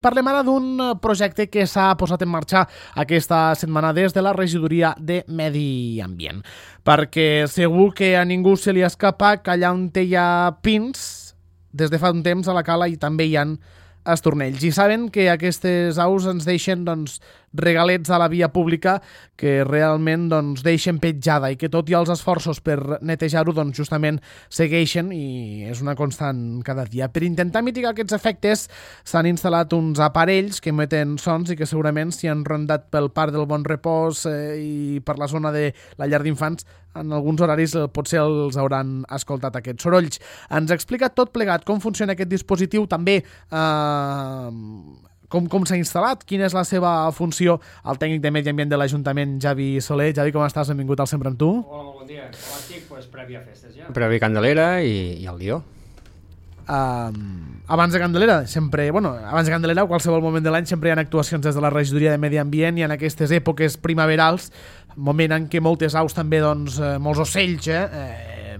Parlem ara d'un projecte que s'ha posat en marxa aquesta setmana des de la regidoria de Medi Ambient, perquè segur que a ningú se li escapa que allà on hi ha pins, des de fa un temps a la cala i també hi ha estornells. I saben que aquestes aus ens deixen regalets a la via pública que realment deixen petjada i que tot i els esforços per netejar-ho justament segueixen i és una constant cada dia. Per intentar mitigar aquests efectes s'han instal·lat uns aparells que emeten sons i que segurament si han rondat pel Parc del Bon Repòs i per la zona de la llar d'infants en alguns horaris potser els hauran escoltat aquests sorolls. Ens explica tot plegat com funciona aquest dispositiu, també com s'ha instal·lat, quina és la seva funció. El tècnic de Medi Ambient de l'Ajuntament, Javi Soler. Javi, com estàs? Benvingut al Sempre amb tu. Hola, molt bon dia. Com estic? Prèvia a festes ja. Prèvia Candelera i el Lió. Abans de Candelera, abans de Candelera o qualsevol moment de l'any sempre hi ha actuacions des de la regidoria de Medi Ambient i en aquestes èpoques primaverals, moment en què moltes aus també, molts ocells,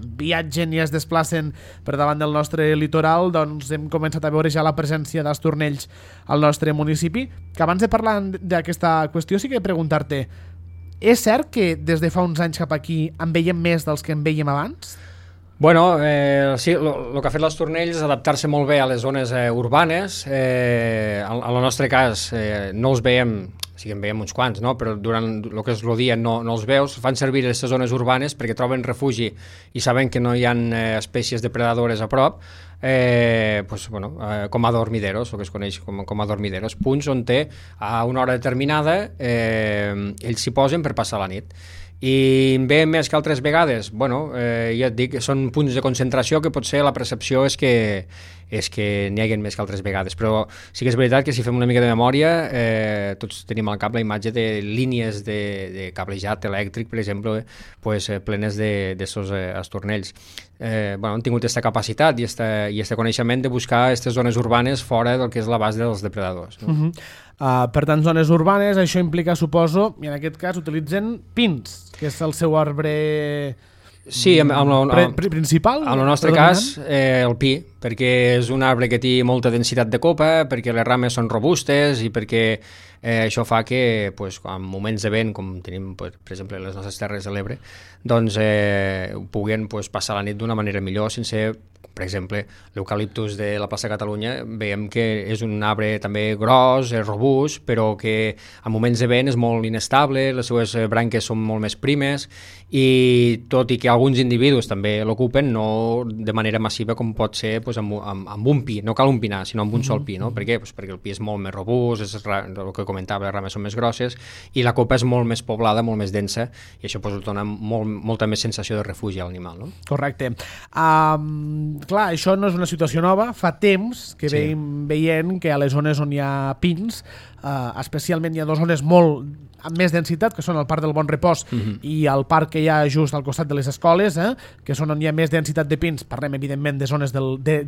viatgen i es desplacen per davant del nostre litoral, hem començat a veure ja la presència d'estornells al nostre municipi. Que abans de parlar d'aquesta qüestió sí que preguntar-te, és cert que des de fa uns anys cap aquí en veiem més dels que en veiem abans? Bueno, sí, el que ha fet l'estornell és adaptar-se molt bé a les zones urbanes. En el nostre cas no els veiem, sí que en veiem uns quants, no? Però durant el que és el dia no els veus. Fan servir aquestes zones urbanes perquè troben refugi i saben que no hi ha espècies depredadores a prop, com a dormideros, el que es coneix com a dormideros, punts on a una hora determinada ells s'hi posen per passar la nit. I en veiem més que altres vegades? Ja et dic, són punts de concentració que potser la percepció és que n'hi hagi més que altres vegades, però sí que és veritat que si fem una mica de memòria tots tenim al cap la imatge de línies de cablejat elèctric, per exemple, plenes d'estos estornells. Han tingut aquesta capacitat i este coneixement de buscar aquestes zones urbanes fora del que és l'abast dels depredadors, no? Per tant, zones urbanes, això implica, suposo, i en aquest cas utilitzen pins, que és el seu arbre principal. En el nostre cas, el pi, perquè és un arbre que té molta densitat de copa, perquè les rames són robustes i perquè això fa que en moments de vent, com tenim per exemple les nostres terres de l'Ebre, puguen passar la nit d'una manera millor sense... Per exemple, l'eucaliptus de la plaça Catalunya veiem que és un arbre també gros, robust, però que en moments de vent és molt inestable, les seues branques són molt més primes i tot i que alguns individus també l'ocupen, no de manera massiva com pot ser amb un pi, no cal un pinar, sinó amb un sol pi, no? Per què? Perquè el pi és molt més robust, és el que comentava, les rames són més grosses i la copa és molt més poblada, molt més densa i això dona molta més sensació de refugi a l'animal, no? Correcte. Clar, això no és una situació nova, fa temps que veiem que a les zones on hi ha pins, especialment hi ha dues zones amb més densitat, que són el Parc del Bon Repòs i el parc que hi ha just al costat de les escoles, que són on hi ha més densitat de pins. Parlem evidentment de zones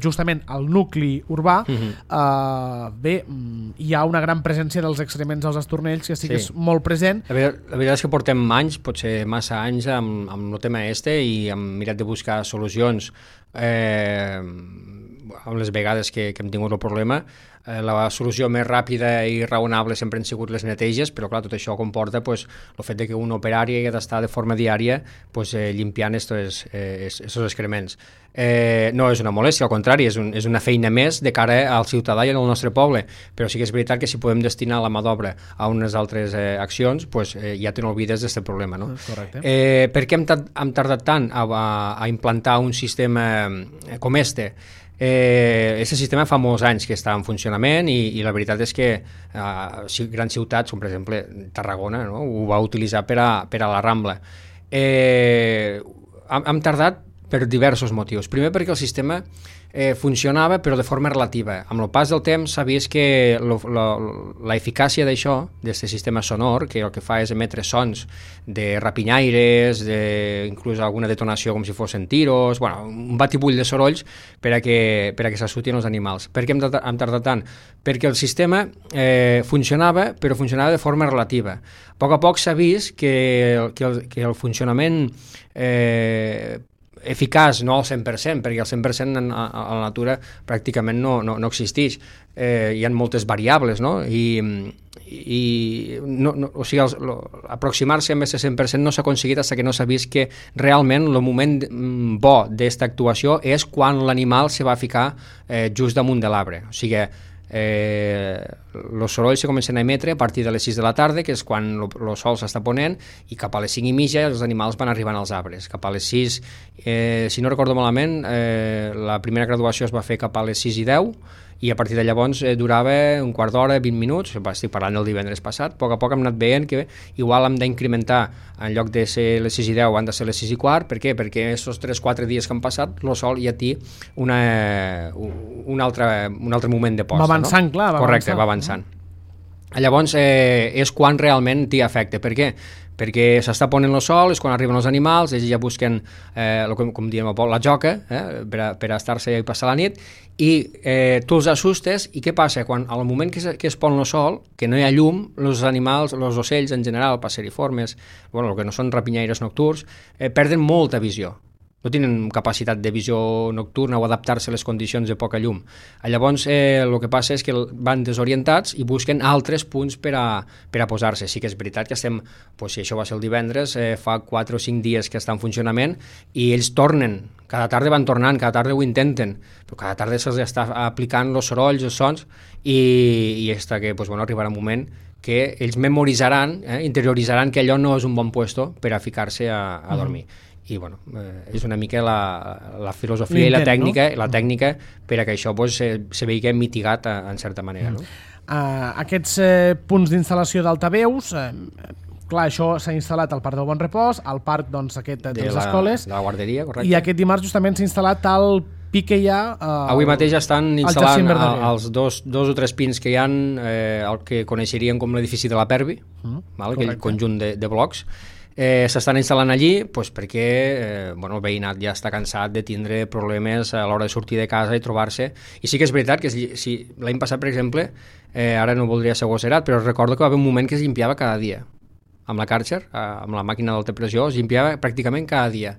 justament al nucli urbà. Hi ha una gran presència dels excrements dels estornells que sí que és molt present. La veritat és que portem anys, potser massa anys amb el tema i hem mirat de buscar solucions amb les vegades que hem tingut el problema. La solució més ràpida i raonable sempre han sigut les neteges, però clar, tot això comporta el fet que un operari ha d'estar de forma diària limpiant estos excrements. No és una molèstia, al contrari, és una feina més de cara al ciutadà i al nostre poble, però sí que és veritat que si podem destinar la mà d'obra a unes altres accions, ja te n'olvides d'aquest problema, no? Correcte. Per què hem tardat tant a implantar un sistema com este? Aquest sistema fa molts anys que està en funcionament i la veritat és que grans ciutats, com per exemple Tarragona, no? Ho va utilitzar per a la Rambla. Hem tardat per diversos motius. Primer perquè el sistema funcionava però de forma relativa. Amb el pas del temps s'ha vist que l'eficàcia d'això, d'aquest sistema sonor, que el que fa és emetre sons de rapinyaires, inclús alguna detonació com si fossin tiros, un batibull de sorolls per a que s'assutin els animals. Per què hem tardat tant? Perquè el sistema funcionava, però funcionava de forma relativa. A poc s'ha vist que el funcionament eficaç, no al 100%, perquè al 100% a la natura pràcticament no existeix. Hi ha moltes variables, no? O sigui, aproximar-se amb aquest 100% no s'ha aconseguit fins que no s'ha vist que realment el moment bo d'aquesta actuació és quan l'animal se va ficar just damunt de l'arbre. O sigui, els sorolls se comencen a emetre a partir de les 6 de la tarda, que és quan el sol s'està ponent, i cap a les 5 i mitja els animals van arribant als arbres. Cap a les 6, si no recordo malament, la primera graduació es va fer cap a les 6 i 10, i a partir de llavors durava un quart d'hora, 20 minuts, estic parlant del divendres passat. A poc hem anat veient que igual hem d'incrementar, en lloc de ser les 6 i 10 han de ser les 6 i quart. Per què? Perquè aquests 3-4 dies que han passat el sol ja té un altre moment de posta. Va avançant, no? Clar. Correcte, va avançant. Llavors és quan realment té efecte. Per què? Perquè s'està ponent el sol, és quan arriben els animals, ells ja busquen, com diem a poc, la joca, per estar-se i passar la nit, i tu els assustes, i què passa? Quan al moment que es pon el sol, que no hi ha llum, els animals, els ocells en general, passeriformes, el que no són rapinyaires nocturns, perden molta visió. No tenen capacitat de visió nocturna o adaptar-se a les condicions de poca llum. Llavors, el que passa és que van desorientats i busquen altres punts per a posar-se. Sí que és veritat que estem, si això va ser el divendres, fa 4 o 5 dies que està en funcionament, i ells tornen, cada tarda van tornant, cada tarda ho intenten, però cada tarda se'ls està aplicant els sorolls, els sons, i està que arribarà un moment que ells memoritzaran, interioritzaran que allò no és un bon puesto per a ficar-se a dormir. I és una mica la filosofia i la tècnica, no? La tècnica per a que això se vegi mitigat en certa manera. No? Aquests punts d'instal·lació d'altaveus, clar, això s'ha instal·lat al Parc del Bon Repòs, al parc aquest de les escoles, de la guarderia, correcte. I aquest dimarts justament s'ha instal·lat al pic que hi ha... Avui mateix estan instal·lant els dos o tres pins que hi ha, el que coneixerien com l'edifici de la Pervi, aquell conjunt de blocs. S'estan instal·lant allí perquè el veïnat ja està cansat de tindre problemes a l'hora de sortir de casa i trobar-se, i sí que és veritat que si l'any passat, per exemple, ara no voldria ser gosserat, però recordo que va haver un moment que es llimpiava cada dia amb la Karcher, amb la màquina d'alta pressió, es llimpiava pràcticament cada dia,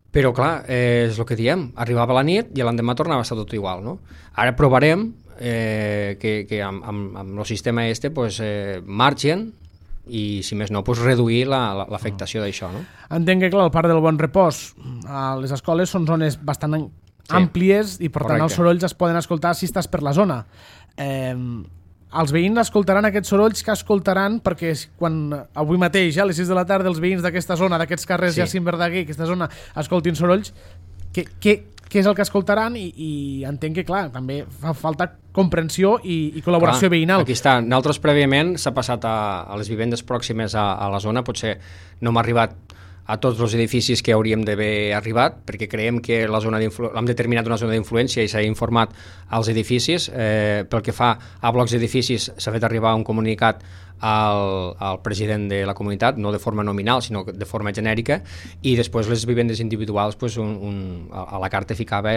però clar, és el que diem, arribava la nit i l'endemà tornava a estar tot igual, no? Ara provarem que amb el sistema marxen, i si més no, reduir l'afectació d'això, no? Entenc que, clar, el Parc del Bon Repòs, a les escoles són zones bastant àmplies i, per tant, els sorolls es poden escoltar si estàs per la zona. Els veïns escoltaran aquests sorolls que escoltaran, perquè quan avui mateix, a les 6 de la tarda, els veïns d'aquesta zona, d'aquests carrers Jacint Verdaguer, aquesta zona, escoltin sorolls, què és el que escoltaran? I entenc que, clar, també fa falta comprensió i col·laboració veïnal. Aquí està. Nosaltres prèviament s'ha passat a les vivendes pròximes a la zona, potser no m'ha arribat a tots els edificis que hauríem d'haver arribat, perquè creiem que l'hem determinat una zona d'influència i s'ha informat als edificis. Pel que fa a blocs d'edificis, s'ha fet arribar un comunicat al president de la comunitat, no de forma nominal, sinó de forma genèrica, i després les vivendes individuals, a la carta ficava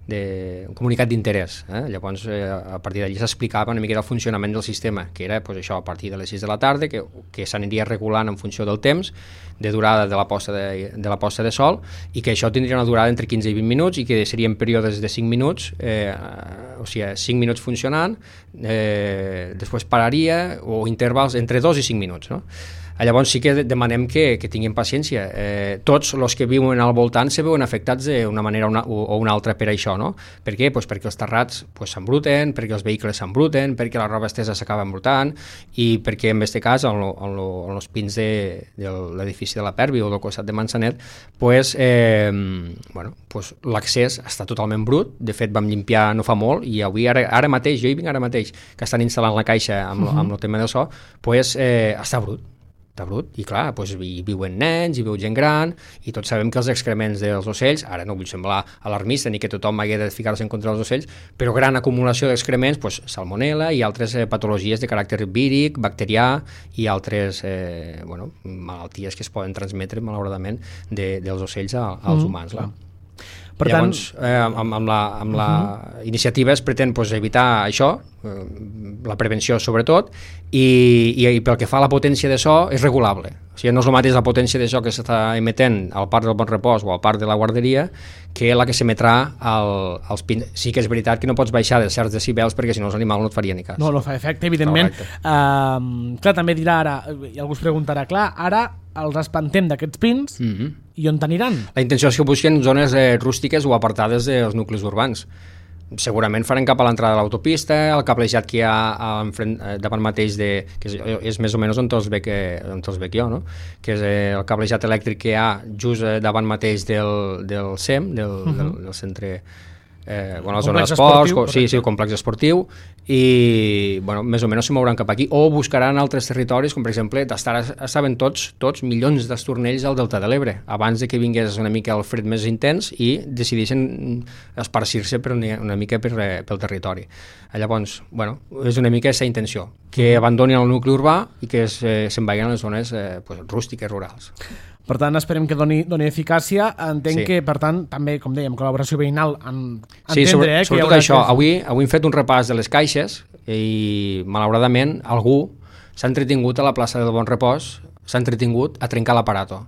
un comunicat d'interès. Llavors, a partir d'allí s'explicava una mica el funcionament del sistema, que era això, a partir de les 6 de la tarda, que s'aniria regulant en funció del temps, de durada de la posta de sol, i que això tindria una durada entre 15 i 20 minuts, i que serien períodes de 5 minuts, o sigui, 5 minuts funcionant, després pararia, o intervals entre 2 i 5 minuts, no? Llavors sí que demanem que tinguin paciència. Tots els que viuen al voltant se veuen afectats d'una manera o una altra per això, no? Per què? Perquè els terrats s'embruten, perquè els vehicles s'embruten, perquè la roba estesa s'acaba embrutant, i perquè en aquest cas, en els pins de l'edifici de la Pervi o del costat de Mansanet, l'accés està totalment brut. De fet, vam limpiar no fa molt, i avui, ara mateix, jo hi vinc ara mateix, que estan instal·lant la caixa amb el tema del so, està brut. I clar, hi viuen nens, hi viu gent gran, i tots sabem que els excrements dels ocells, ara no vull semblar alarmista ni que tothom hagi de ficar-se en contra dels ocells, però gran acumulació d'excrements, salmonel·la i altres patologies de caràcter víric, bacterià i altres malalties que es poden transmetre malauradament dels ocells als humans. Llavors, amb la iniciativa es pretén evitar això, la prevenció sobretot, i pel que fa a la potència de so és regulable. O sigui, no és el mateix la potència de so que s'està emetent al parc del Bon Repòs o al parc de la guarderia que la que s'emetrà als pins. Sí que és veritat que no pots baixar de certs decibels perquè si no els animals no et farien ni cas. No fa efecte, evidentment. Clar, també dirà ara, i algú es preguntarà, clar, ara els espantem d'aquests pins i on t'aniran? La intenció és que busquen zones rústiques o apartades dels nuclis urbans. Segurament faran cap a l'entrada de l'autopista, el cablejat que hi ha davant mateix que és més o menys on te'ls veig jo, no? Que és el cablejat elèctric que hi ha just davant mateix del CEM, del centre, la zona d'esports, el complex esportiu, i més o menys se mouran cap aquí, o buscaran altres territoris, com per exemple, estaven tots milions d'estornells al Delta de l'Ebre, abans de que vingués una mica el fred més intens i decideixen esparcir-se una mica pel territori. Llavors, és una mica aquesta intenció, que abandonin el nucli urbà i que se'n vagin a les zones rústiques, rurals. Per tant, esperem que doni eficàcia. Entenc que, per tant, també, com dèiem, col·laboració veïnal, sobretot això. Avui hem fet un repàs de les caixes i, malauradament, algú s'ha entretingut a la plaça del Bon Repòs, s'ha entretingut a trencar l'aparato.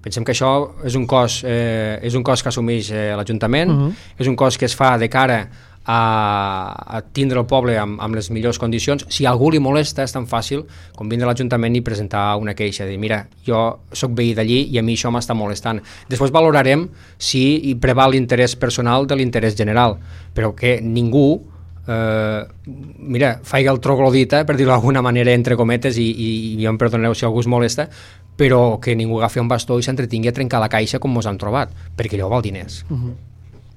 Pensem que això és un cost que assumeix l'Ajuntament, és un cost que es fa de cara a tindre el poble amb les millors condicions. Si a algú li molesta, és tan fàcil com vindre a l'Ajuntament i presentar una queixa, dir, mira, jo sóc veí d'allí i a mi això m'està molestant. Després valorarem si hi preval l'interès personal de l'interès general, però que ningú faig el troglodita, per dir-ho d'alguna manera, entre cometes, i ja em perdoneu si algú es molesta, però que ningú agafi un bastó i s'entretingui a trencar la caixa com mos han trobat, perquè allò val diners.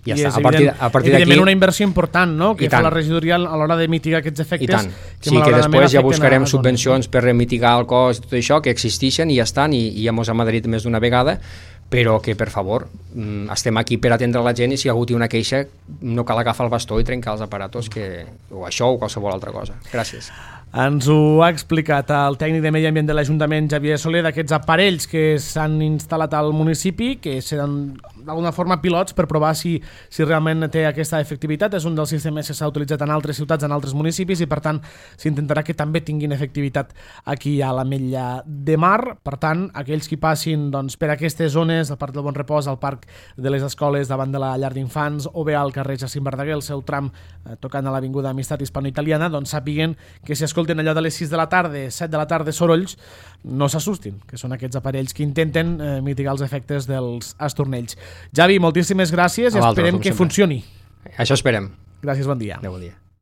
Ja i està. A partir evidentment una inversió important, no?, que fa la regidoria a l'hora de mitigar aquests efectes. I tant. Que després ja buscarem subvencions per mitigar el cost i tot això, que existeixen i ja estan, i ja mos hem adherit més d'una vegada, però que, per favor, estem aquí per atendre la gent, i si algú té una queixa no cal agafar el bastó i trencar els aparatos, o això o qualsevol altra cosa. Gràcies. Ens ho ha explicat el tècnic de Medi Ambient de l'Ajuntament, Xavier Soler, d'aquests aparells que s'han instal·lat al municipi, que seran d'alguna forma pilots per provar si realment té aquesta efectivitat. És un dels sistemes que s'ha utilitzat en altres ciutats, en altres municipis, i per tant s'intentarà que també tinguin efectivitat aquí a l'Ametlla de Mar. Per tant, aquells que passin per aquestes zones, al Parc del Bon Repòs, al Parc de les Escoles, davant de la llar d'infants, o bé al carrer Jacint Verdaguer, el seu tram tocant a l'Avinguda Amistat Hispano-Italiana, sàpiguen que si escolten allò de les 6 de la tarda, 7 de la tarda, sorolls, no s'assustin, que són aquests aparells que intenten mitigar els efectes dels estornells. Javi, moltíssimes gràcies i esperem que funcioni. Això esperem. Gràcies, bon dia. Bon dia.